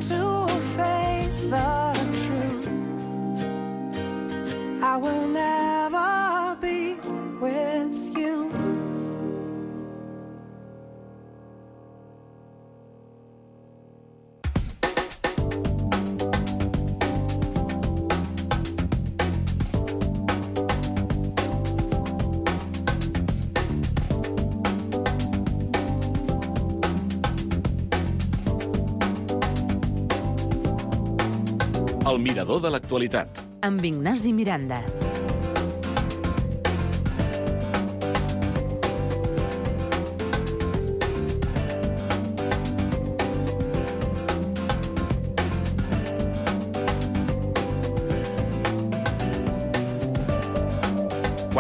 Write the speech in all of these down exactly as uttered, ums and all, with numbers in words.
willing to face the truth. I will never be with you. El mirador de l'actualitat. Amb Ignasi Miranda.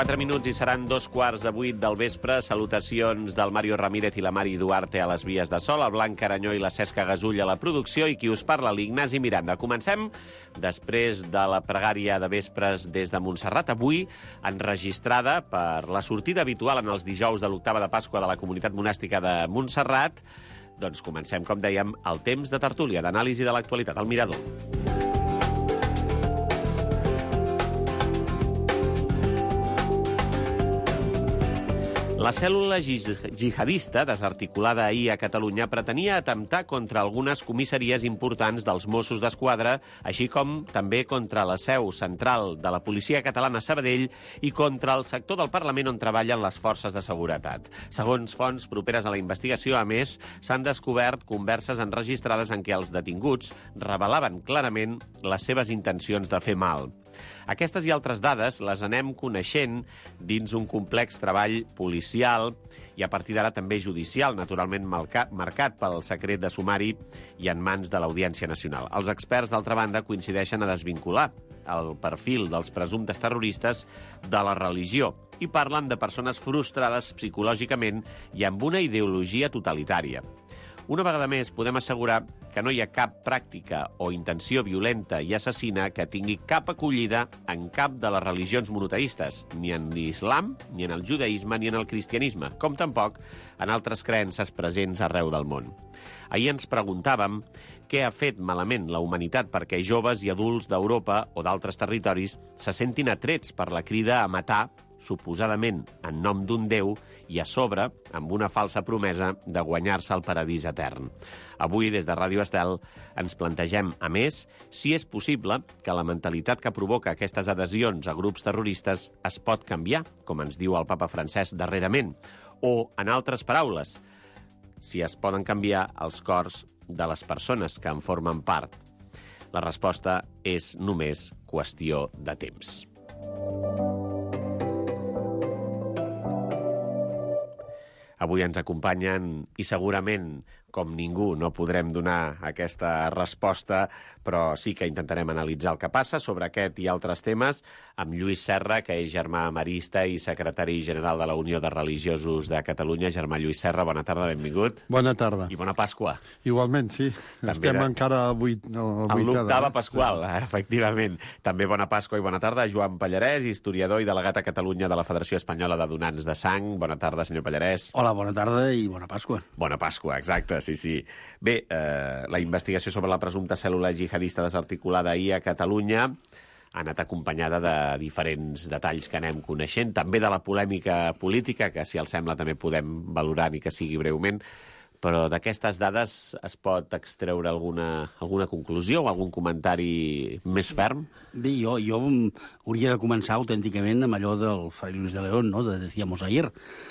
Quatre minuts i seran dos quarts de vuit del vespre. Salutacions del Mario Ramírez i la Mari Duarte a les vies de sol, el Blanc Caranyó i la Cesca Gasull a la producció i qui us parla, l'Ignasi Miranda. Comencem després de la pregària de vespres des de Montserrat, avui enregistrada per la sortida habitual en els dijous de l'octava de Pasqua de la Comunitat Monàstica de Montserrat. Doncs comencem, com dèiem, el temps de tertúlia, d'anàlisi de l'actualitat, al Mirador. La cèl·lula jihadista, desarticulada ahir a Catalunya, pretenia atemptar contra algunes comissaries importants dels Mossos d'Esquadra, així com també contra la seu central de la policia catalana a Sabadell i contra el sector del Parlament on treballen les forces de seguretat. Segons fonts properes a la investigació, a més, s'han descobert converses enregistrades en què els detinguts revelaven clarament les seves intencions de fer mal. Aquestes i altres dades les anem coneixent dins un complex treball policial i a partir d'ara també judicial, naturalment marcat pel secret de sumari i en mans de l'Audiència Nacional. Els experts, d'altra banda, coincideixen a desvincular el perfil dels presumptes terroristes de la religió i parlen de persones frustrades psicològicament i amb una ideologia totalitària. Una vegada més, podem assegurar que no hi ha cap pràctica o intenció violenta i assassina que tingui cap acollida en cap de les religions monoteistes, ni en l'islam, ni en el judaïsme, ni en el cristianisme, com tampoc en altres creences presents arreu del món. Ahir ens preguntàvem què ha fet malament la humanitat perquè joves i adults d'Europa o d'altres territoris se sentin atrets per la crida a matar, suposadament en nom d'un déu, i a sobre amb una falsa promesa de guanyar-se el paradís etern. Avui, des de Ràdio Estel, ens plantegem, a més, si és possible que la mentalitat que provoca aquestes adhesions a grups terroristes es pot canviar, com ens diu el papa Francesc darrerament, o, en altres paraules, si es poden canviar els cors de les persones que en formen part. La resposta és només qüestió de temps. Avui ens acompanyen i segurament, com ningú, no podrem donar aquesta resposta, però sí que intentarem analitzar el que passa sobre aquest i altres temes amb Lluís Serra, que és germà marista i secretari general de la Unió de Religiosos de Catalunya. Germà Lluís Serra, bona tarda, benvingut. Bona tarda. I bona Pasqua. Igualment, sí. També Estem de... encara a vuit, no, a l'octava no? pasqual, sí. Efectivament. També bona Pasqua i bona tarda a Joan Pallarès, historiador i delegat a Catalunya de la Federació Espanyola de Donants de Sang. Bona tarda, senyor Pallarès. Hola, bona tarda i bona Pasqua. Bona Pasqua, exacte, sí, sí. Bé, eh, la investigació sobre la presumpta cèl·lula jihadista desarticulada ahir a Catalunya ha anat acompanyada de diferents detalls que anem coneixent, també de la polèmica política, que si els sembla també podem valorar, ni que sigui breument, però d'aquestes dades es pot extreure alguna, alguna conclusió o algun comentari més ferm? Bé, jo, jo hauria de començar autènticament amb allò del Fray Luis de León, no?, de Decíamos ayer.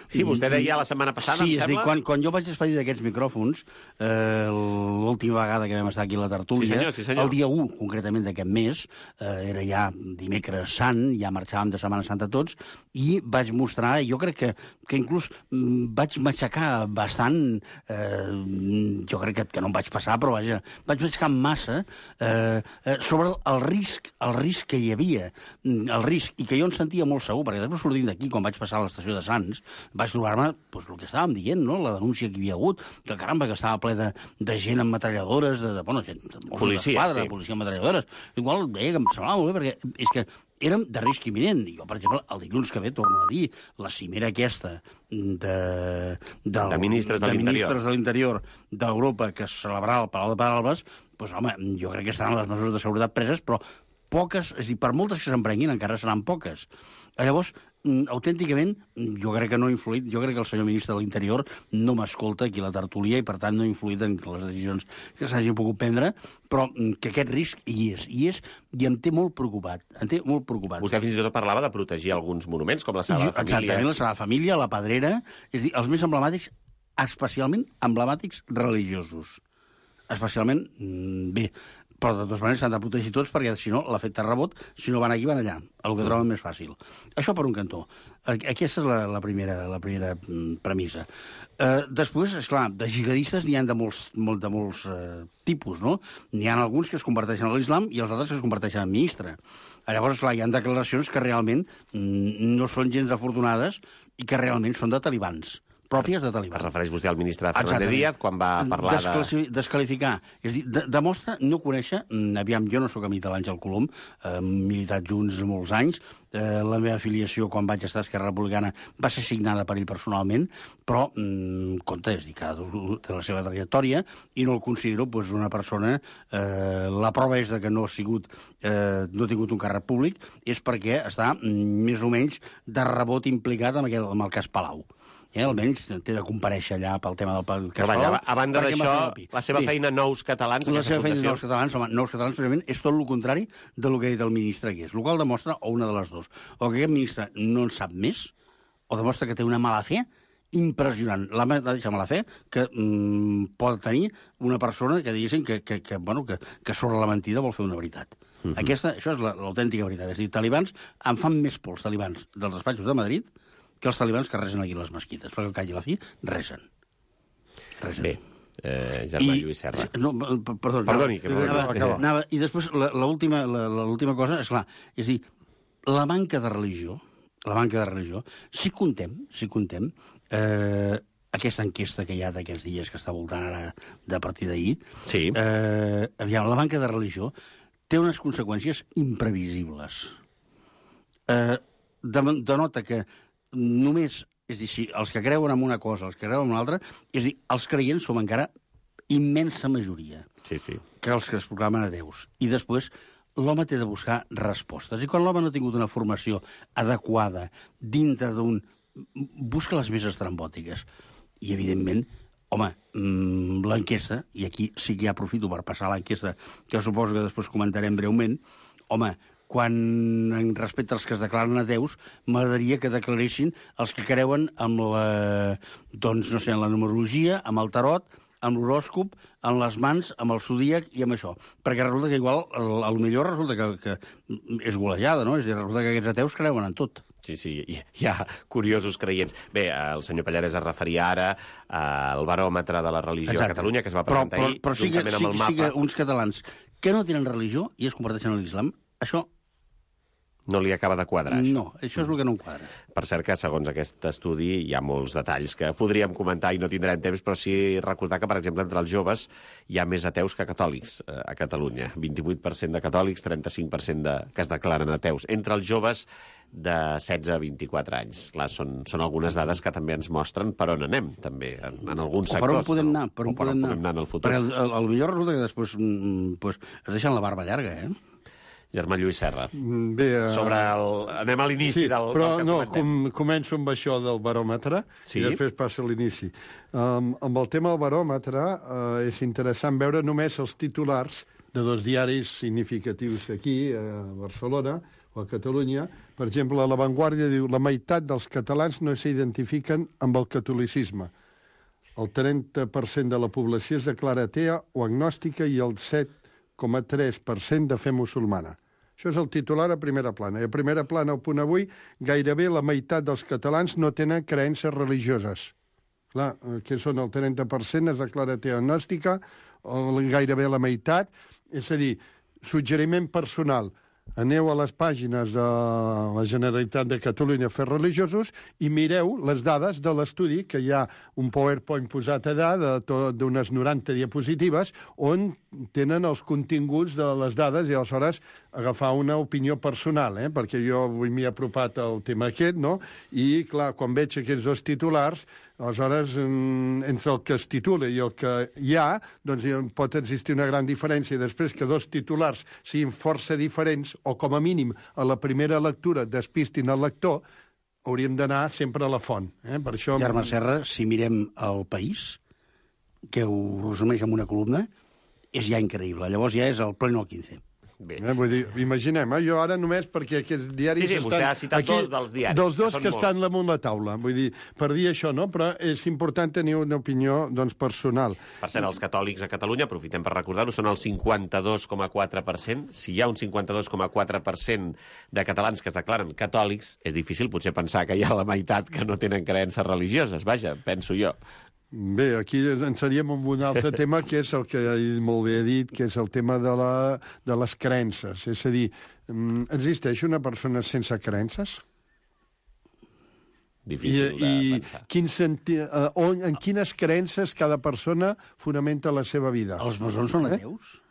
Sí, vostè deia la setmana passada, sí, em sembla? Sí, quan, quan jo vaig expedir d'aquests micròfons, eh, l'última vegada que vam estar aquí a la tertúlia, sí, senyor, sí, senyor. el dia u, concretament d'aquest mes, eh, era ja dimecres sant, ja marxàvem de Setmana Santa tots, i vaig mostrar, jo crec que, que inclús mm, vaig matxacar bastant, eh, jo crec que, que no em vaig passar, però vaja, vaig matxacar massa eh, eh, sobre el risc, el risc que hi havia, el risc, i que jo em sentia molt segur, perquè després sortint d'aquí, quan vaig passar a l'estació de Sants, vaig trobar-me doncs, el que estàvem dient, no?, la denúncia que hi havia hagut, que caramba, que estava ple de, de gent amb metralladores, de, de, bueno, gent, de Mossos d'Esquadra, sí. policia amb metralladores. Igual deia que em semblava molt bé, perquè és que érem de risc imminent. Jo, per exemple, el dilluns que ve, torno a dir, la cimera aquesta de, del, de ministres de, de l'interior ministres de l'interior d'Europa que es celebrarà al Palau de Pedralbes, doncs, home, jo crec que estaran les mesures de seguretat preses, però poques, és a dir, per moltes que s'emprenguin, encara seran poques. Llavors, autènticament, jo crec que no ha influït, jo crec que el senyor ministre de l'Interior no m'escolta aquí a la tertúlia i, per tant, no ha influït en les decisions que s'hagin pogut prendre, però que aquest risc hi és, hi és, i em té molt preocupat, em té molt preocupat. Vostè fins i tot parlava de protegir alguns monuments, com la Sagrada Família. Exactament, la Sagrada Família, la Pedrera, és a dir, els més emblemàtics, especialment emblemàtics religiosos. Especialment, bé, però de totes maneres s'han de protegir tots perquè, si no, l'efecte rebot, si no van aquí, van allà, el que troben més fàcil. Això per un cantó. Aquesta és la, la, primera, la primera premissa. Eh, després, esclar, de jihadistes n'hi ha de molts, molt, de molts eh, tipus, no? N'hi ha alguns que es converteixen a l'islam i els altres que es converteixen en ministre. Llavors, esclar, hi ha declaracions que realment no són gens afortunades i que realment són de talibans, pròpies de talibans. Es refereix vostè al ministre Fernández Díaz quan va parlar Desclassi de... Descalificar. És a dir, de, demostra no conèixer... Aviam, jo no sóc amic de l'Àngel Colom, eh, militat junts molts anys, eh, la meva afiliació quan vaig estar a Esquerra Republicana va ser signada per ell personalment, però, mm, compte, és a dir, cada de la seva trajectòria, i no el considero pues, una persona... Eh, la prova és de que no ha sigut... Eh, no ha tingut un càrrec públic, és perquè està mm, més o menys de rebot implicat amb, aquest, amb el cas Palau. Eh, almenys té de comparèixer allà pel tema del cas Palau. A banda d'això, la seva feina Nous Catalans... La seva feina Nous Catalans, home, Nous Catalans, precisament, és tot el contrari del que ha dit el ministre Gués, el qual demostra, o una de les dues, o que aquest ministre no en sap més, o demostra que té una mala fe impressionant. La mateixa mala fe que mm, pot tenir una persona que diguéssim que, que, que, bueno, que, que sobre la mentida vol fer una veritat. Uh-huh. Aquesta, això és l'autèntica veritat. És a dir, talibans en fan més por els talibans dels despatxos de Madrid que els talibans que resen aquí a les mesquites, perquè al cap i a la fi resen. resen. Bé, eh, Germà I, Lluís Serra. No, perdó, Perdoni, que anava, anava, anava, I després, l'última cosa, és clar, és a dir, la manca de religió, la manca de religió, si contem, si contem, eh, aquesta enquesta que hi ha d'aquests dies que està voltant ara de partir d'ahir, sí. eh, aviam, la manca de religió té unes conseqüències imprevisibles. Eh, denota que només, és a dir, si els que creuen en una cosa, els que creuen en una altra, és a dir, els creients som encara immensa majoria sí, sí. que els que es proclamen a déus. I després, l'home té de buscar respostes. I quan l'home no ha tingut una formació adequada dintre d'un... busca les més estrambòtiques. I, evidentment, home, l'enquesta, i aquí sí que ja aprofito per passar l'enquesta, que suposo que després comentarem breument, home, quan respecte als que es declaren ateus, m'agradaria que declaressin els que creuen amb la, doncs, no sé, en la numerologia, amb el tarot, amb l'horòscop, amb les mans, amb el zodíac i amb això. Perquè resulta que igual, a lo millor resulta que, que és golejada, no? És a dir, resulta que aquests ateus creuen en tot. Sí, sí, hi ha curiosos creients. Bé, el senyor Pallarès es referia ara al baròmetre de la religió Exacte. a Catalunya, que es va presentar però, però, ahir, però sí que, juntament sí, amb el mapa. Sí que uns catalans que no tenen religió i es converteixen en l'islam, això no li acaba de quadrar, això. No, això és el que no em quadra. Per cert que, segons aquest estudi, hi ha molts detalls que podríem comentar i no tindrem temps, però sí recordar que, per exemple, entre els joves hi ha més ateus que catòlics eh, a Catalunya. vint-i-vuit per cent de catòlics, trenta-cinc per cent de, que es declaren ateus. Entre els joves de setze a vint-i-quatre anys. Clar, són, són algunes dades que també ens mostren per on anem, també, en, en alguns sectors. O per on podem anar, per on, per podem, on anar. podem anar en el futur. Perquè el, el, el millor resulta que després mm, pues, es deixen la barba llarga, eh? Germà Lluís Serra. Bé, uh... Sobre el... Anem a l'inici sí, del, però del que no, comentem. com, començo amb això del baròmetre sí? i després passo a l'inici. Um, amb el tema del baròmetre uh, és interessant veure només els titulars de dos diaris significatius aquí, a Barcelona o a Catalunya. Per exemple, La Vanguardia diu la meitat dels catalans no s'identifiquen amb el catolicisme. El trenta per cent de la població es declara atea o agnòstica i el set coma tres per cent de fe musulmana. Això és el titular a primera plana. I a primera plana, al punt avui, gairebé la meitat dels catalans no tenen creences religioses. Clar, que són el trenta per cent, es declara atea agnòstica, gairebé la meitat. És a dir, suggeriment personal. Aneu a les pàgines de la Generalitat de Catalunya a fer religiosos i mireu les dades de l'estudi, que hi ha un PowerPoint posat allà d'unes noranta diapositives, on tenen els continguts de les dades i aleshores agafar una opinió personal, eh? Perquè jo avui m'he apropat al tema aquest, no? I, clar, quan veig aquests dos titulars, aleshores, entre el que es titula i el que hi ha, doncs pot existir una gran diferència. I després que dos titulars siguin força diferents, o com a mínim a la primera lectura despistin el lector, hauríem d'anar sempre a la font. Eh? Per això... Germà Serra, si mirem el País, que ho resumeix en una columna, és ja increïble. Llavors ja és el pleno al quinze. Bé. Eh, vull dir, imaginem, eh? Jo ara només perquè aquests diaris... Sí, sí, vostè estan ha citat aquí, dos dels diaris. Dels dos que, que, que estan molts. damunt la taula. Vull dir, per dir això, no? Però és important tenir una opinió, doncs, personal. Per cert, els catòlics a Catalunya, aprofitem per recordar-ho, són el cinquanta-dos coma quatre per cent. Si hi ha un cinquanta-dos coma quatre per cent de catalans que es declaren catòlics, és difícil potser pensar que hi ha la meitat que no tenen creences religioses. Vaja, penso jo. Bé, aquí ens seríem amb un altre tema, que és el que molt bé he dit, que és el tema de, la, de les creences. És a dir, existeix una persona sense creences? Difícil I, de i pensar. Quin senti... uh, on, en quines creences cada persona fonamenta la seva vida? Els masons són ateus? Eh?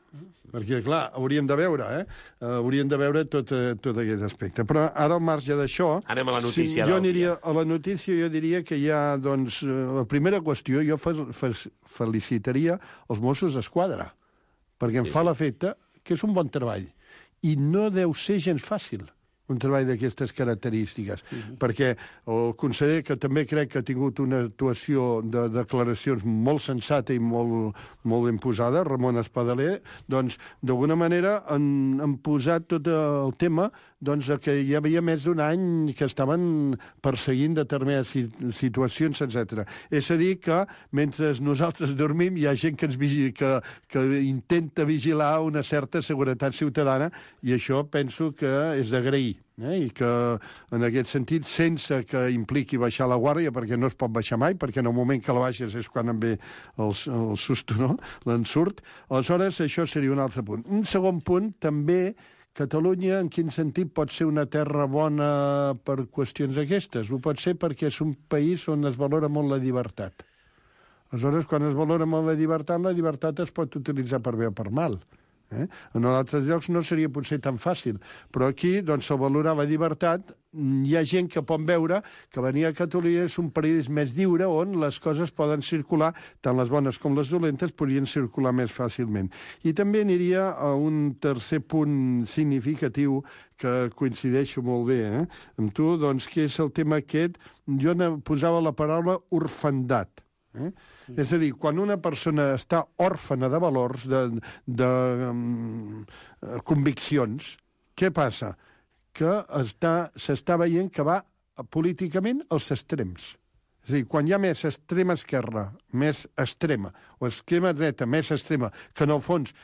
Perquè, clar, hauríem de veure, eh? Uh, hauríem de veure tot, uh, tot aquest aspecte. Però ara, al marge d'això... Anem a la notícia si jo del aniria, dia. A la notícia jo diria que hi ha, doncs, uh, la primera qüestió, jo fe, fe, felicitaria els Mossos d'Esquadra, perquè em Sí. fa l'efecte que és un bon treball. I no deu ser gens fàcil un treball d'aquestes característiques, uh-huh. perquè el conseller, que també crec que ha tingut una actuació de declaracions molt sensata i molt, molt ben posada, Ramon Espadaler, doncs, d'alguna manera han, han posat tot el tema doncs, que hi havia més d'un any que estaven perseguint determinades situacions, etcètera. És a dir, que mentre nosaltres dormim hi ha gent que, ens vigila, que, que intenta vigilar una certa seguretat ciutadana, i això penso que és d'agrair. Eh? I que, en aquest sentit, sense que impliqui baixar la guàrdia, perquè no es pot baixar mai, perquè en el moment que la baixes és quan em ve el, el susto, no? L'ensurt. Aleshores, això seria un altre punt. Un segon punt, també, Catalunya, en quin sentit pot ser una terra bona per qüestions aquestes? Ho pot ser perquè és un país on es valora molt la llibertat. Aleshores, quan es valora molt la llibertat, la llibertat es pot utilitzar per bé o per mal. Eh? En altres llocs no seria potser tan fàcil, però aquí, doncs, al valorar la llibertat, hi ha gent que pot veure que venir a Catalunya és un país més lliure on les coses poden circular, tant les bones com les dolentes podrien circular més fàcilment. I també aniria a un tercer punt significatiu que coincideixo molt bé eh, amb tu, doncs, que és el tema aquest, jo posava la paraula orfandat. Eh? És a dir, quan una persona està òrfana de valors, de, de um, conviccions, què passa? Que s'està veient que va políticament als extrems. És a dir, quan hi ha més extrema esquerra, més extrema, o extrema dreta, més extrema, que en el fons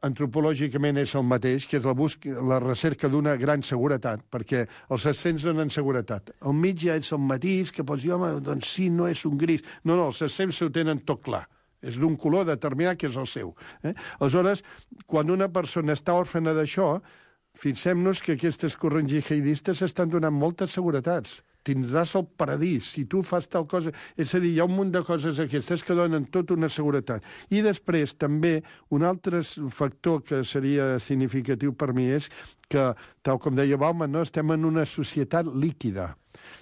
antropològicament és el mateix, que és la, busca, la recerca d'una gran seguretat, perquè els ascens donen seguretat. Al mig ja és el matís, que pots dir, home, doncs sí, no és un gris. No, no, els ascens ho tenen tot clar. És d'un color determinat que és el seu. Eh? Aleshores, quan una persona està òrfana d'això, fixem-nos que aquestes corrents jihadistes estan donant moltes seguretats. Tindràs el paradís, si tu fas tal cosa... És a dir, hi ha un munt de coses aquestes que donen tota una seguretat. I després, també, un altre factor que seria significatiu per mi és que, tal com deia Bauman, no? Estem en una societat líquida.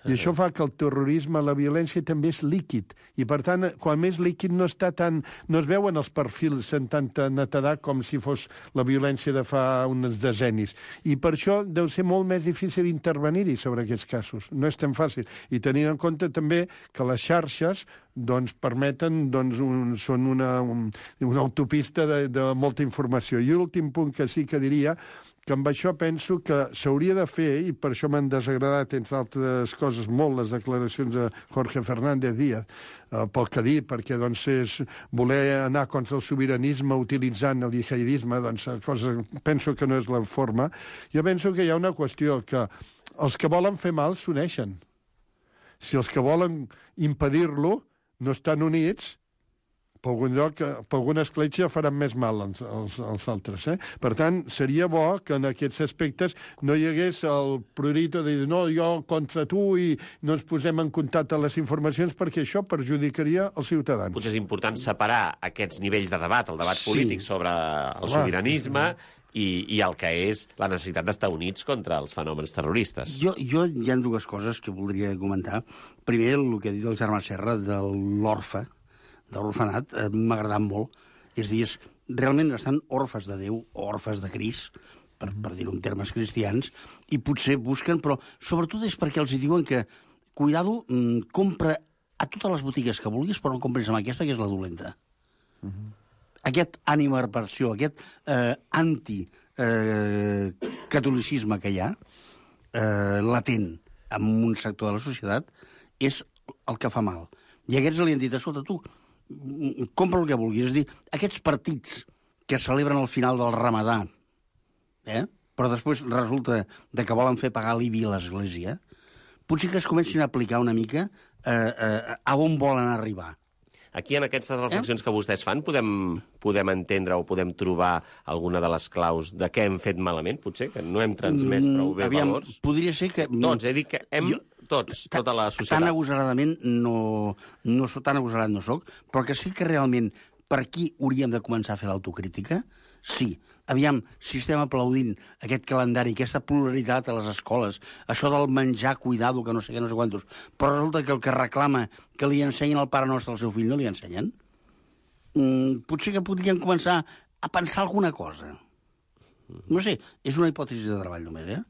I això fa que el terrorisme, la violència, també és líquid. I, per tant, quan més líquid no està tan... no es veuen els perfils en tanta netedat com si fos la violència de fa uns decennis. I per això deu ser molt més difícil intervenir-hi sobre aquests casos. No és tan fàcil. I tenint en compte també que les xarxes doncs, permeten, doncs, un, són una, un, una autopista de, de molta informació. I l'últim punt que sí que diria que amb això penso que s'hauria de fer, i per això m'han desagradat, entre altres coses, molt les declaracions de Jorge Fernández Díaz, eh, pel que ha dit, perquè doncs, és voler anar contra el sobiranisme utilitzant el jihadisme, doncs, cosa, penso que no és la forma. Jo penso que hi ha una qüestió, que els que volen fer mal s'uneixen. Si els que volen impedir-lo no estan units, per algun lloc, per alguna escletxa faran més mal als, als, als altres. Eh? Per tant, seria bo que en aquests aspectes no hi hagués el prurito de dir no, jo contra tu i no ens posem en contacte les informacions perquè això perjudicaria els ciutadans. Potser és important separar aquests nivells de debat, el debat Sí. polític sobre el sobiranisme i, i el que és la necessitat d'estar units contra els fenòmens terroristes. Jo, jo hi ha dues coses que voldria comentar. Primer, el que ha dit el Germà Serra de l'orfe, de l'orfenat, eh, m'ha agradat molt. És a dir, és, realment estan orfes de Déu, o orfes de Crist, per, per dir-ho en termes cristians, i potser busquen, però sobretot és perquè els hi diuen que, cuidado, mm, compra a totes les botigues que vulguis, però no compris amb aquesta, que és la dolenta. Uh-huh. Aquest animadversió, aquest eh, anti-catolicisme eh, que hi ha, eh, latent en un sector de la societat, és el que fa mal. I aquests li han dit, escolta, tu, compra el que vulguis. És a dir, aquests partits que celebren al final del ramadà, eh? però després resulta de que volen fer pagar l'I B I a l'Església, potser que es comencin a aplicar una mica eh, eh, a on volen arribar. Aquí, en aquestes reflexions eh? que vostès fan, podem, podem entendre o podem trobar alguna de les claus de què hem fet malament, potser, que no hem transmès prou bé Aviam, valors? Podria ser que... Tots, he dit que hem... Jo... Tots, tota la societat. Tan agosaradament no, no soc, tan agosarat no soc, però que sí que realment per aquí hauríem de començar a fer l'autocrítica, sí. Aviam, si estem aplaudint aquest calendari, aquesta pluralitat a les escoles, això del menjar, cuidado, que no sé què, no sé quantos, però resulta que el que reclama que li ensenyin el Pare Nostre al seu fill no li ensenyen, mm, potser que podríem començar a pensar alguna cosa. No sé, és una hipòtesi de treball només, eh?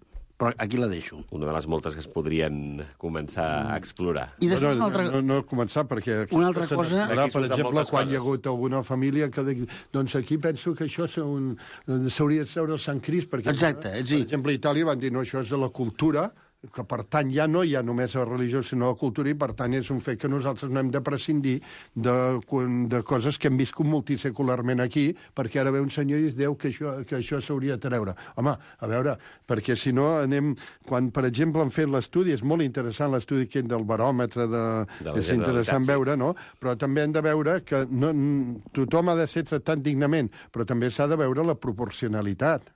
Però aquí la deixo. Una de les moltes que es podrien començar a explorar. I després no, una altra... no, no començar, perquè... Una altra cosa... Ara, per surten exemple, moltes quan hi ha coses. hagut alguna família que... de- Doncs aquí penso que això un- s'hauria de seure el Sant Crist, perquè... Exacte, és Per dir- exemple, a Itàlia van dir, no, això és de la cultura, que per tant ja no hi ha només la religió, sinó la cultura, i per tant és un fet que nosaltres no hem de prescindir de, de coses que hem viscut multisecularment aquí, perquè ara ve un senyor i es diu que això, que això s'hauria de treure. Home, a veure, perquè si no anem... Quan, per exemple, han fet l'estudi, és molt interessant l'estudi aquest del baròmetre, de, De la és interessant Generalitat, sí. veure, no? Però també hem de veure que no, tothom ha de ser tractat dignament, però també s'ha de veure la proporcionalitat.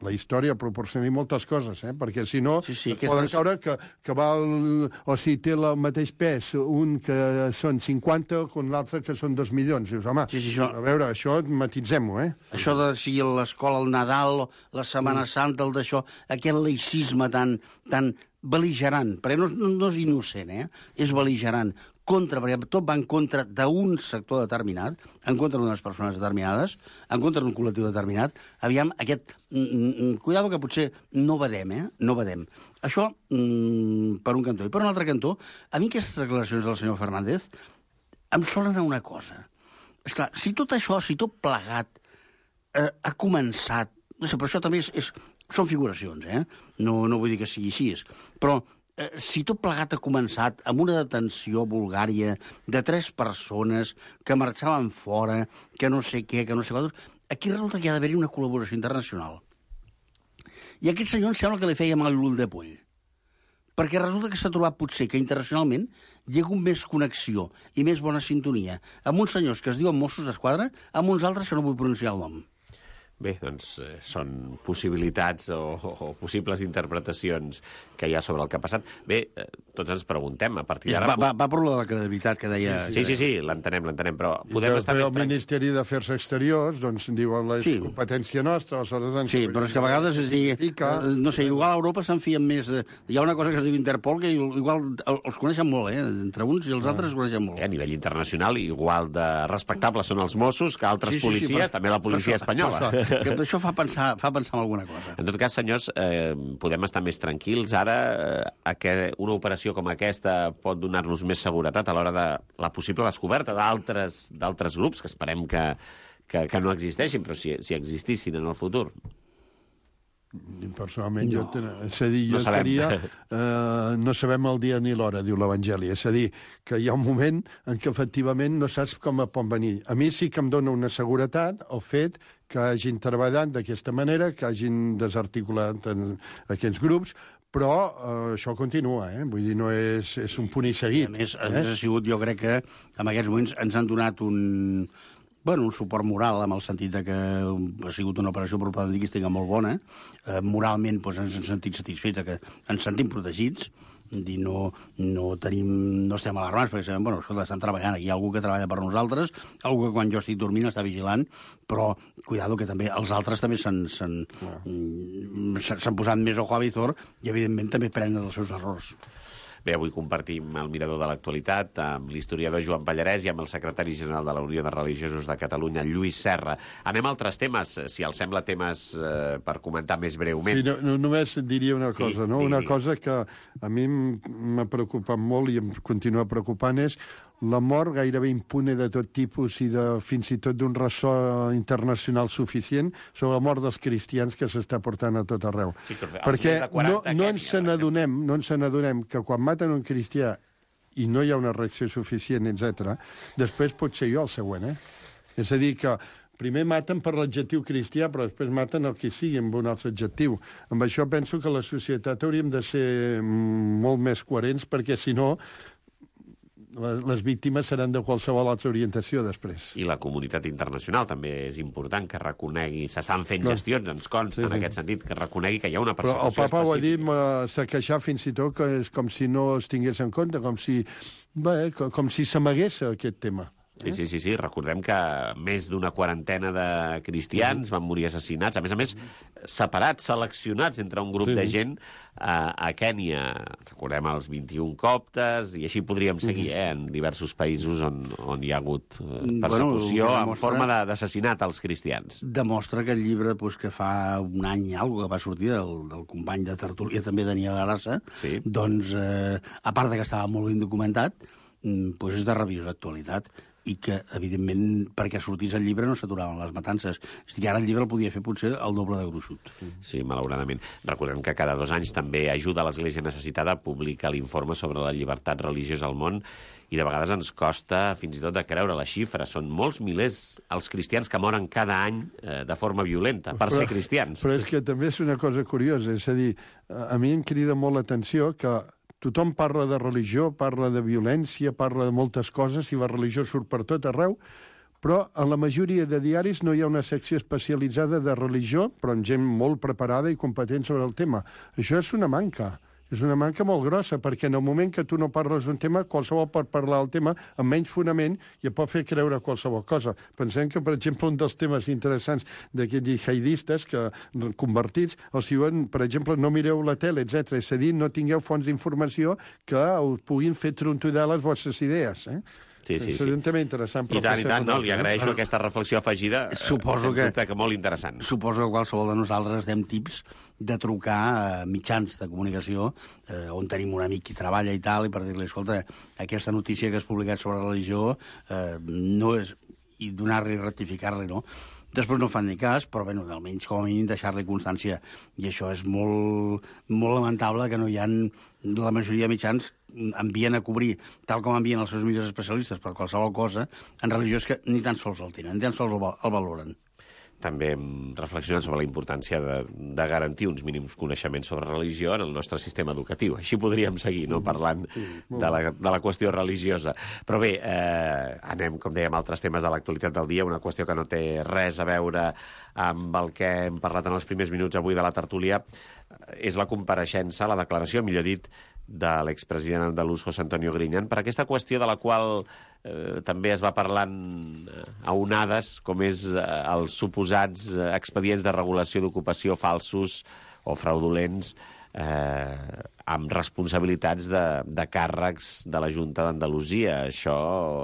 La història proporciona moltes coses, eh? Perquè si no, Sí, sí, es aquestes- poden caure que, que val, o si té el mateix pes un que són cinquanta con l'altre que són dos milions. Dius, home, Sí, sí, això- a veure, això matitzem-ho, eh? Això de si l'escola, el Nadal, la Setmana Santa, el d'això, aquest laïcisme tan, tan bel·ligerant, perquè no, no, no és innocent, eh? És bel·ligerant. Contra, perquè tot va en contra d'un sector determinat, en contra d'unes persones determinades, en contra d'un col·lectiu determinat. Aviam, aquest... Mm, mm, cuidado que potser no vedem, eh? No vedem. Això, mm, per un cantó. I per un altre cantó, a mi aquestes declaracions del senyor Fernández em solen a una cosa. Esclar, si tot això, si tot plegat eh, ha començat... No sé, però això també és, és, són figuracions, eh? No, no vull dir que sigui així. Però eh, si tot plegat ha començat amb una detenció bulgària de tres persones que marxaven fora, que no sé què, que no sé quantos... Aquí resulta que hi ha d'haver-hi una col·laboració internacional. I aquest senyor em sembla que li feia mal l'ull de poll. Perquè resulta que s'ha trobat potser que internacionalment hi ha hagut més connexió i més bona sintonia amb uns senyors que es diuen Mossos d'Esquadra amb uns altres que no vull pronunciar el nom. Bé, doncs eh, són possibilitats o, o, o possibles interpretacions que hi ha sobre el que ha passat. Bé, eh, tots ens preguntem, a partir Va, d'ara... va, va per lo de la credibilitat que deia... Sí, sí, sí, l'entenem, l'entenem, però I podem que estar el més tranquils. Ministeri d'Afers Exteriors, doncs, diuen la Sí. competència nostra, aleshores... ens Sí, però és que a vegades, és dir, Fica. eh, no sé, igual a Europa se'n fien més... De... Hi ha una cosa que es diu Interpol que igual els coneixen molt, eh? Entre uns i els altres es coneixen molt. Eh, a nivell internacional, igual de respectables són els Mossos que altres Sí, sí, sí, policies, però- també la policia per això- espanyola. per això, que això fa pensar, fa pensar en alguna cosa. En tot cas, senyors, eh, podem estar més tranquils ara eh, a que una operació com aquesta pot donar-nos més seguretat a l'hora de la possible descoberta d'altres d'altres grups, que esperem que, que, que no existeixin, però si, si existissin en el futur. Personalment, no. jo, és a dir, jo No sabem. estaria... Eh, no sabem el dia ni l'hora, diu l'Evangeli. És a dir, que hi ha un moment en què efectivament no saps com pot venir. A mi sí que em dona una seguretat el fet que hagin treballat d'aquesta manera, que hagin desarticulat en aquests grups, però eh, això continua, eh? Vull dir, no és, és un punt i seguit. A més, a eh? més ha sigut, jo crec que en aquests moments ens han donat un, bueno, un suport moral, en el sentit de que ha sigut una operació propagandística molt bona. Eh, moralment doncs, ens hem sentit satisfets, que ens sentim protegits, dir, no, no, tenim, no estem alarmats, perquè sabem, bueno, escolta, estan treballant, aquí hi ha algú que treballa per nosaltres, algú que quan jo estic dormint està vigilant, però, cuidado, que també els altres també s'han s'han posat més ojo a Vizor i, evidentment, també prenen els seus errors. Bé, avui compartim el mirador de l'actualitat amb l'historiador Joan Pallarès i amb el secretari general de la Unió de Religiosos de Catalunya, Lluís Serra. Anem a altres temes, si els sembla, temes eh, per comentar més breument. Sí, no, no, només diria una Sí, cosa, no? digui. Una cosa que a mi m'ha preocupat molt i em continua preocupant és la mort gairebé impune de tot tipus i de, fins i tot d'un ressò internacional suficient sobre la mort dels cristians que s'està portant a tot arreu. Sí, però els Perquè més de quaranta no, no a ens Kènia, se n'adonem, no ens se n'adonem que quan maten un cristià i no hi ha una reacció suficient, etcètera, després pot ser jo el següent, eh? És a dir, que primer maten per l'adjectiu cristià, però després maten el que sigui amb un altre adjectiu. Amb això penso que la societat hauríem de ser molt més coherents, perquè si no les víctimes seran de qualsevol altra orientació després. I la comunitat internacional també és important que reconegui, s'estan fent No. gestions, ens consta Sí, en sí. aquest sentit, que reconegui que hi ha una Però persecució el papa ho ha dit, específica. s'ha queixat fins i tot que és com si no es tingués en compte, com si, bé, co- com si s'amagués aquest tema. Sí, sí, sí, sí, recordem que més d'una quarantena de cristians van morir assassinats, a més a més, separats, seleccionats entre un grup Sí. de gent a, a Kènia. Recordem els vint-i-un coptes, i així podríem seguir, eh, en diversos països on, on hi ha hagut eh, persecució Bueno, en demostra- forma de- d'assassinat als cristians. Demostra que el llibre doncs, que fa un any i alguna cosa que va sortir del, del company de tertúlia, també Daniel Arassa, Sí. doncs, eh, a part de que estava molt ben documentat, mm, doncs és de rabiosa actualitat, i que, evidentment, perquè sortís el llibre no s'aturaven les matances. És a dir, ara el llibre el podia fer potser el doble de gruixut. Sí, malauradament. Recordem que cada dos anys també Ajuda a l'Església Necessitada publica l'informe sobre la llibertat religiosa al món, i de vegades ens costa fins i tot de creure la xifra. Són molts milers els cristians que moren cada any eh, de forma violenta per ser cristians. Però és que també és una cosa curiosa, és a dir, a a mi em crida molt l'atenció que tothom parla de religió, parla de violència, parla de moltes coses, i la religió surt per tot arreu, però en la majoria de diaris no hi ha una secció especialitzada de religió, però amb gent molt preparada i competent sobre el tema. Això és una manca. És una manca molt grossa, perquè en el moment que tu no parles d'un tema, qualsevol pot parlar del tema amb menys fonament i et pot fer creure qualsevol cosa. Pensem que, per exemple, un dels temes interessants d'aquests jihadistes que convertits, els diuen, per exemple, no mireu la tele, etcètera. És a dir, no tingueu fonts d'informació que us puguin fer trontollar les vostres idees, eh? Sí, sí, és sí. un tema interessant. I tant, i tant, no? Li agraeixo aquesta reflexió afegida. Suposo eh, que- que... que molt interessant. Suposo que qualsevol de nosaltres dem tips de trucar a mitjans de comunicació eh, on tenim un amic que treballa i tal, i per dir-li, escolta, aquesta notícia que has publicat sobre religió eh, no és... i donar-li i rectificar-li, no? Després no fan ni cas, però bé, almenys com a mínim deixar-li constància. I això és molt, molt lamentable, que no hi ha... La majoria de mitjans envien a cobrir, tal com envien els seus millors especialistes per qualsevol cosa, en religió és que ni tan sols el tenen, ni tan sols el, va- el valoren. També hem reflexionat sobre la importància de, de garantir uns mínims coneixements sobre religió en el nostre sistema educatiu. Així podríem seguir, no?, parlant de la, de la qüestió religiosa. Però bé, eh, anem, com dèiem, a altres temes de l'actualitat del dia, una qüestió que no té res a veure amb el que hem parlat en els primers minuts avui de la tertúlia. És la compareixença, la declaració, millor dit, de l'expresident andalús José Antonio Griñán, per aquesta qüestió de la qual eh, també es va parlant a onades, com és eh, els suposats eh, expedients de regulació d'ocupació falsos o fraudulents eh, amb responsabilitats de, de càrrecs de la Junta d'Andalusia. Això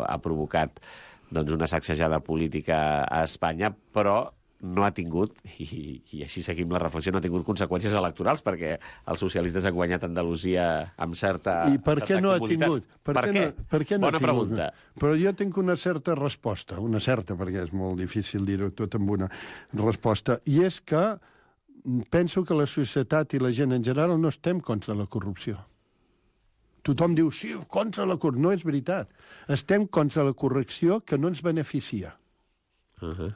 ha provocat doncs, una sacsejada política a Espanya, però no ha tingut, i, i així seguim la reflexió, no ha tingut conseqüències electorals, perquè els socialistes han guanyat Andalusia amb certa I per què certa no ha comoditat. tingut? Per, què què? No, per què no Bona ha tingut? pregunta. Però jo tinc una certa resposta, una certa, perquè és molt difícil dir-ho tot amb una resposta, i és que penso que la societat i la gent en general no estem contra la corrupció. Tothom diu, sí, contra la corrupció. No és veritat. Estem contra la correcció que no ens beneficia. Uh -huh.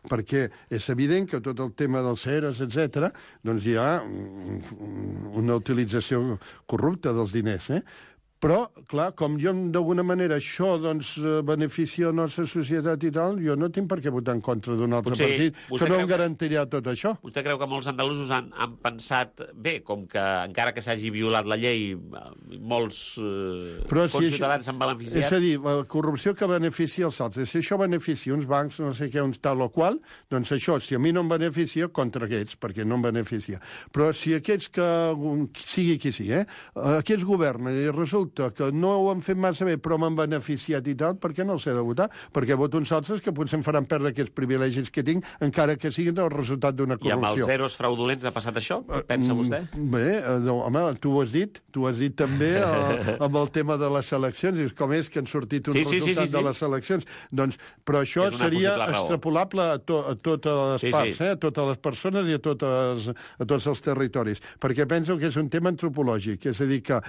perquè és evident que tot el tema dels E R Es, etcètera, doncs hi ha una utilització corrupta dels diners, eh? Però, clar, com jo d'alguna manera això doncs, beneficia la nostra societat i tal, jo no tinc per què votar en contra d'un altre Potser partit que no em garantirà tot això. Vostè creu que molts andalusos han, han pensat, bé, com que encara que s'hagi violat la llei, molts eh, si ciutadans s'han beneficiat? És a dir, la corrupció que beneficia els altres. Si això beneficia uns bancs, no sé què, uns tal o qual, doncs això, si a mi no em beneficia, contra aquests, perquè no em beneficia. Però si aquests que, sigui qui sigui, eh, aquests governen i resulta que no ho han fet massa bé, però m'han beneficiat i tal, per què no els he de votar? Perquè voto uns altres que potser em faran perdre aquests privilegis que tinc, encara que siguin el resultat d'una corrupció. I amb els zeros fraudulents ha passat això? Pensa vostè? Bé, no, home, tu ho has dit. Tu ho has dit també el, amb el tema de les eleccions. Dius, com és que han sortit un sí, sí, resultat sí, sí, sí. de les eleccions? Doncs, però això seria extrapolable a, to, a totes les sí, parts, sí. eh? A totes les persones i a, totes, a tots els territoris. Perquè penso que és un tema antropològic. És a dir, que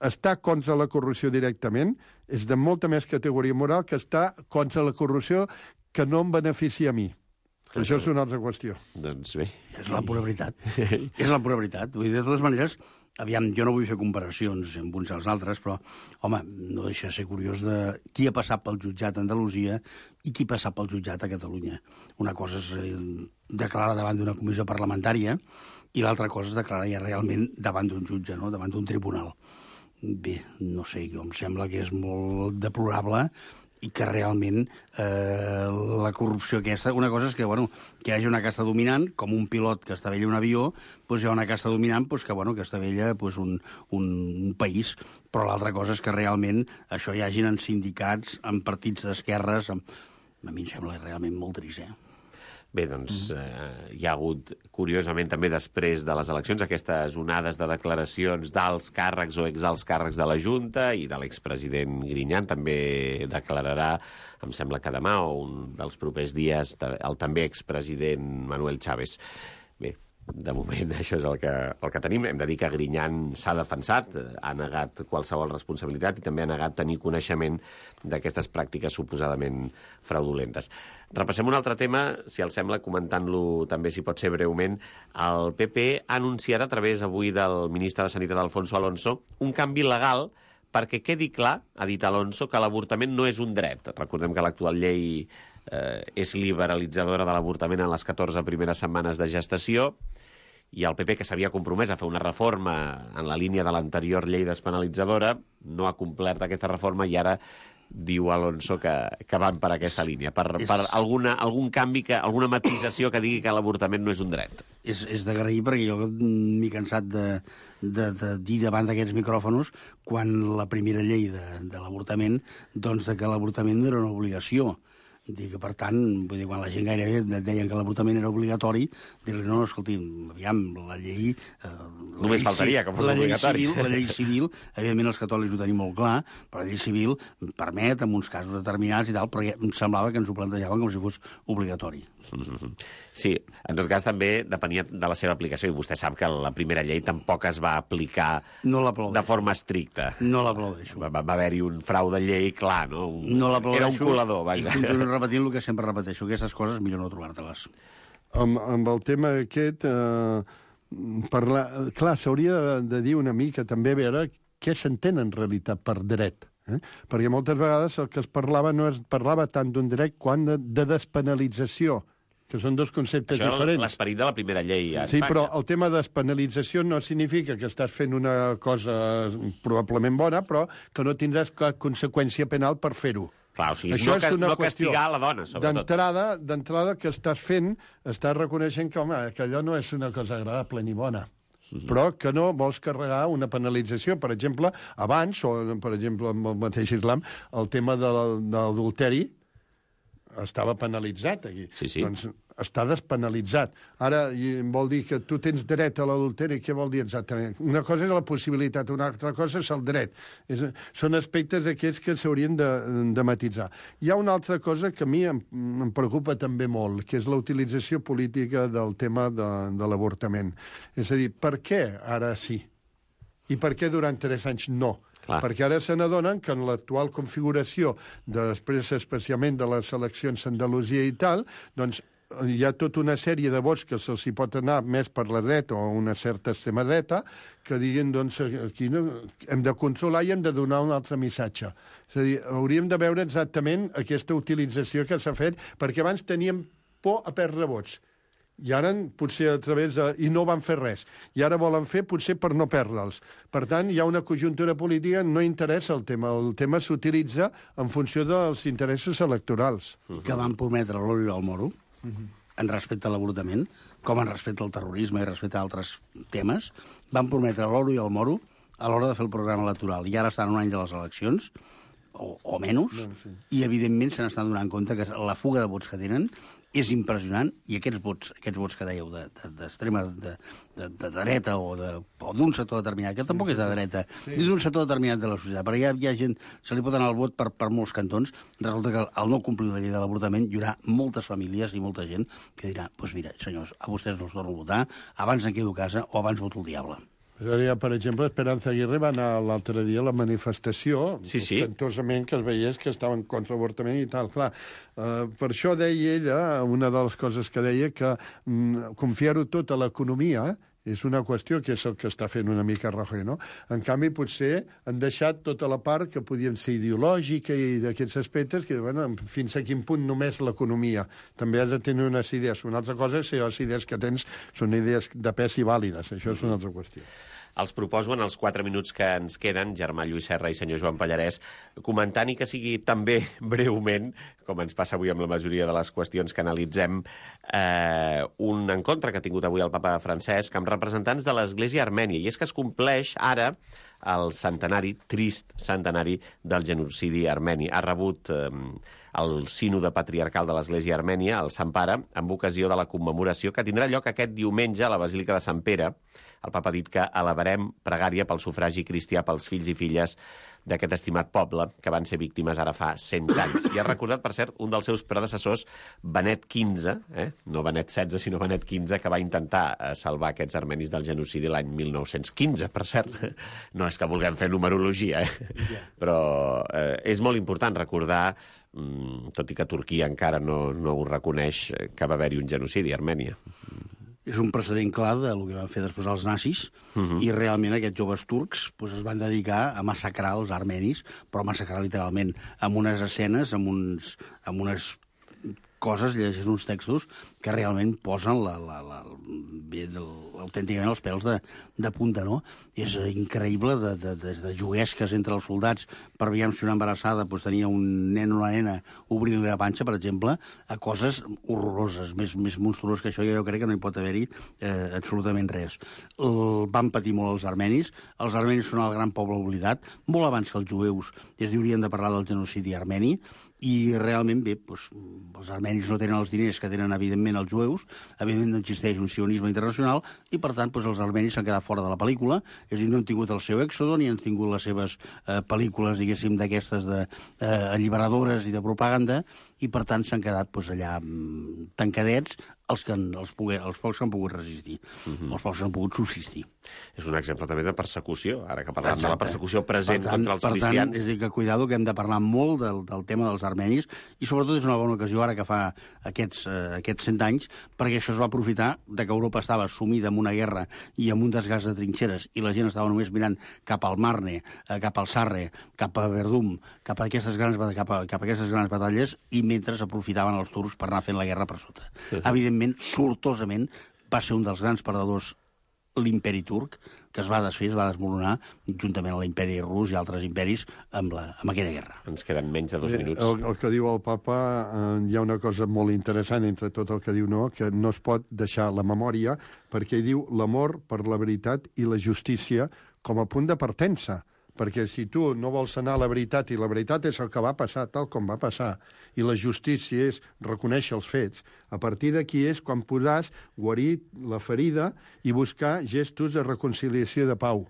estar contra la corrupció directament és de molta més categoria moral que estar contra la corrupció que no em beneficia a mi. Que això és una altra qüestió. Doncs bé. És la pura veritat. És la pura veritat. Vull dir, de totes maneres, aviam, jo no vull fer comparacions amb uns i els altres, però, home, no deixa de ser curiós de qui ha passat pel jutjat a Andalusia i qui ha passat pel jutjat a Catalunya. Una cosa és eh, declarar davant d'una comissió parlamentària i l'altra cosa és declarar ja realment davant d'un jutge, no? Davant d'un tribunal. Bé, no sé, em sembla que és molt deplorable i que realment eh, la corrupció aquesta... Una cosa és que, bueno, que hi hagi una casta dominant, com un pilot que estavella un avió, doncs hi ha una casta dominant doncs que, bueno, que estavella doncs un, un, un país, però l'altra cosa és que realment això hi hagin en sindicats, en partits d'esquerres... En... A mi em sembla realment molt trist, eh? Bé, doncs eh, hi ha hagut, curiosament, també després de les eleccions, aquestes onades de declaracions d'alts càrrecs o exalts càrrecs de la Junta i de l'expresident Griñán també declararà, em sembla que demà o un dels propers dies, el també expresident Manuel Chávez. Bé, de moment això és el que, el que tenim. Hem de dir que Griñán s'ha defensat, ha negat qualsevol responsabilitat i també ha negat tenir coneixement d'aquestes pràctiques suposadament fraudulentes. Repassem un altre tema, si els sembla, comentant-lo també, si pot ser breument. El P P anunciarà a través avui del ministre de Sanitat, Alfonso Alonso, un canvi legal perquè quedi clar, ha dit Alonso, que l'avortament no és un dret. Recordem que l'actual llei eh, és liberalitzadora de l'avortament en les catorze primeres setmanes de gestació, i el P P, que s'havia compromès a fer una reforma en la línia de l'anterior llei despenalitzadora, no ha complert aquesta reforma i ara diu Alonso que, que van per aquesta línia, per, és... per alguna, algun canvi, que, alguna matisació que digui que l'avortament no és un dret. És, és d'agrair, perquè jo m'he cansat de, de, de dir davant d'aquests micròfonos, quan la primera llei de, de l'avortament, doncs de que l'avortament no era una obligació. Dir que, per tant, vull dir, quan la gent gairebé deien que l'avortament era obligatori, dir-li, no, no, escolti, aviam, la llei... Eh, Només la faltaria que fos la obligatori. Llei civil, la llei civil, evidentment els catòlics ho tenim molt clar, però la llei civil permet, en uns casos determinats i tal, però ja em semblava que ens ho plantejaven com si fos obligatori. Sí, en tot cas també depenia de la seva aplicació, i vostè sap que la primera llei tampoc es va aplicar no de forma estricta. No l'aplaudeixo. Va, va haver-hi un frau de llei, clar, no? Un... No l'aplaudeixo. Era un colador, vaja. I continuo repetint el que sempre repeteixo, aquestes coses millor no trobar-te-les. Amb, amb el tema aquest, eh, parlar, clar, s'hauria de, de dir una mica també a veure què s'entén en realitat per dret. Eh? Perquè moltes vegades el que es parlava no es parlava tant d'un dret quan de, de despenalització, que són dos conceptes Això diferents. Això l'esperit de la primera llei a Sí, Espanya. però el tema de despenalització no significa que estàs fent una cosa probablement bona, però que no tindràs cap conseqüència penal per fer-ho. Clar, o sigui, Això no, és una no qüestió. castigar la dona, sobretot. D'entrada, d'entrada que estàs fent, estàs reconeixent que, home, que allò no és una cosa agradable ni bona. Mm-hmm. Però que no vols carregar una penalització. Per exemple, abans, o per exemple amb el mateix islam, el tema de l'adulteri estava penalitzat aquí. Sí, sí. Doncs està despenalitzat. Ara vol dir que tu tens dret a l'adulteri. Què vol dir exactament? Una cosa és la possibilitat, una altra cosa és el dret. És, són aspectes d'aquests que s'haurien de, de matitzar. Hi ha una altra cosa que a mi em, em preocupa també molt, que és la utilització política del tema de, de l'avortament. És a dir, per què ara sí? I per què durant tres anys no? Clar. Perquè ara se n'adonen que en l'actual configuració, després especialment de les eleccions a Andalusia i tal, doncs hi ha tota una sèrie de vots que se'ls hi pot anar més per la dreta o una certa extrema dreta, que diguin, doncs, aquí no, hem de controlar i hem de donar un altre missatge. És a dir, hauríem de veure exactament aquesta utilització que s'ha fet, perquè abans teníem por a perdre vots. I ara, potser a través de... I no van fer res. I ara volen fer, potser, per no perdre'ls. Per tant, hi ha una conjuntura política, no interessa el tema. El tema s'utilitza en funció dels interessos electorals. Que van prometre l'oro i el moro, en respecte a l'avortament, com en respecte al terrorisme i respecte a altres temes, van prometre l'oro i el moro a l'hora de fer el programa electoral. I ara estan un any de les eleccions, o, o menys, no, sí. I evidentment se n'estan donant compte que la fuga de vots que tenen és impressionant, i aquests vots, aquests vots que dèieu d'extrema, de, de, de, de dreta o d'un sector determinat, que tampoc és de dreta, sí. Ni d'un sector determinat de la societat, perquè hi ha, hi ha gent, se li pot anar el vot per, per molts cantons, resulta que al no complir la llei de l'avortament hi haurà moltes famílies i molta gent que dirà, doncs pues mira, senyors, a vostès no us torno a votar, abans em quedo a casa o abans voto el diable. Per exemple, Esperanza Aguirre va anar l'altre dia a la manifestació, sí, sí. ostentosament que es veiés que estaven contra l'avortament i tal. Clar, uh, per això deia ella, una de les coses que deia, que mm, confiar-ho tot a l'economia és una qüestió que és el que està fent una mica Rajoy, no? En canvi, potser han deixat tota la part que podien ser ideològica i d'aquests aspectes, que, bueno, fins a quin punt només l'economia. També has de tenir unes idees. Una altra cosa és si les idees que tens són idees de pes i vàlides. Això és una altra qüestió. Els proposo en els quatre minuts que ens queden, Germà Lluís Serra i senyor Joan Pallarès, comentant i que sigui també breument, com ens passa avui amb la majoria de les qüestions que analitzem, eh, un encontre que ha tingut avui el papa Francesc amb representants de l'Església Armènia. I és que es compleix ara el centenari, trist centenari, del genocidi armeni. Ha rebut eh, el sínode patriarcal de l'Església Armènia, el Sant Pare, amb ocasió de la commemoració que tindrà lloc aquest diumenge a la Basílica de Sant Pere. El papa ha dit que elevarem pregària pel sufragi cristià pels fills i filles d'aquest estimat poble que van ser víctimes ara fa cent anys. I ha recordat, per cert, un dels seus predecessors, Benet quinze, eh? no Benet setze, sinó Benet quinze, que va intentar salvar aquests armenis del genocidi l'any mil nou-cents quinze, per cert. No és que vulguem fer numerologia, eh? Però eh, és molt important recordar, tot i que Turquia encara no, no ho reconeix, que va haver-hi un genocidi a Armènia. És un precedent clar del que van fer després els nazis, uh-huh. I realment aquests joves turcs pues, es van dedicar a massacrar els armenis, però massacrar literalment, amb unes escenes, amb, uns, amb unes coses, llegeixes uns textos que realment posen la, la, la, bé, del, autènticament els pèls de, de punta, no? És increïble, de, de, de, de juguesques entre els soldats per veure si una embarassada pues, tenia un nen o una nena obrint-li la panxa, per exemple, a coses horroroses, més, més monstruoses que això, jo crec que no hi pot haver-hi eh, absolutament res. El, van patir molt els armenis, els armenis són el gran poble oblidat, molt abans que els jueus es diurien de parlar del genocidi armeni, i realment, bé, doncs, els armenis no tenen els diners que tenen, evidentment, els jueus, evidentment no existeix un sionisme internacional, i, per tant, doncs, els armenis s'han quedat fora de la pel·lícula, és a dir, no han tingut el seu èxodo, ni han tingut les seves eh, pel·lícules, diguéssim, d'aquestes de, eh, alliberadores i de propaganda, i, per tant, s'han quedat doncs, allà mm, tancadets, els, que, els, poguer, els pocs que han pogut resistir, uh-huh. Els pocs que han pogut subsistir. És un exemple també de persecució, ara que parlem de la persecució present per tant, contra els per cristians. Tant, és a dir, que cuidado, que hem de parlar molt del, del tema dels armenis, i sobretot és una bona ocasió ara que fa aquests, eh, aquests cent anys, perquè això es va aprofitar de que Europa estava sumida en una guerra i en un desgast de trinxeres, i la gent estava només mirant cap al Marne, eh, cap al Sarre, cap a Verdum, cap a aquestes grans, cap a, cap a aquestes grans batalles, i mentre aprofitaven els turcs per anar fent la guerra per sota. Sí, sí. Evidentment, sortosament, va ser un dels grans perdedors l'imperi turc, que es va desfer, es va desmoronar, juntament amb l'imperi rus i altres imperis, amb, la, amb aquella guerra. Ens queden menys de dos Bé, minuts. El, el que diu el papa, eh, hi ha una cosa molt interessant entre tot el que diu, no?, que no es pot deixar la memòria, perquè diu l'amor per la veritat i la justícia com a punt de partença. Perquè si tu no vols anar a la veritat, i la veritat és el que va passar tal com va passar, i la justícia és reconèixer els fets, a partir d'aquí és quan podràs guarir la ferida i buscar gestos de reconciliació de pau.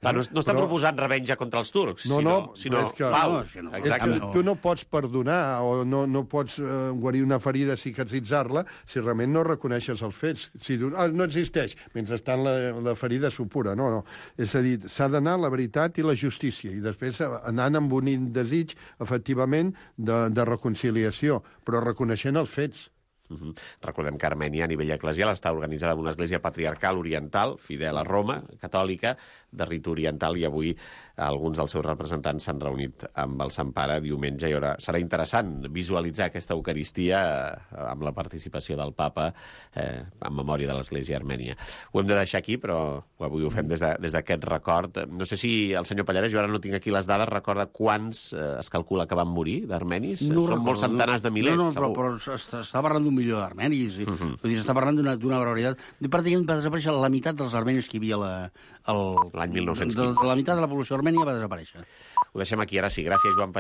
Clar, no, no està Però... proposant revenja contra els turcs, no, sinó, no, sinó és que, pau. No, és que no, és que tu no pots perdonar o no, no pots eh, guarir una ferida, cicatritzar-la, si realment no reconeixes els fets. Si dius, ah, no existeix, mentrestant la, la ferida supura. No, no. És a dir, s'ha d'anar la veritat i la justícia, i després anant amb un desig, efectivament, de, de reconciliació, però reconeixent els fets. Uh -huh. Recordem que Armènia, a nivell eclesial, està organitzada en una església patriarcal oriental, fidel a Roma, catòlica, de rit oriental, i avui alguns dels seus representants s'han reunit amb el Sant Pare diumenge, i ara serà interessant visualitzar aquesta Eucaristia eh, amb la participació del papa eh, en memòria de l'església armènia. Ho hem de deixar aquí, però avui ho fem des d'aquest de, record. No sé si el senyor Pallares, jo ara no tinc aquí les dades, recorda quants eh, es calcula que van morir d'armenis? No Són recordo, molts centenars de milers, no, no, segur. però, però s'està parlant d'un milió d'armenis. Uh Mhm. -huh. Vull dir, s'està parlant d'una barbaritat. Pràcticament va desaparèixer la meitat dels armenis que hi havia la, el, l'any mil nou-cents de, quinze. de la meitat de la població armènia va desaparèixer. Ho deixem aquí, ara sí. Gràcies, Joan Pallares.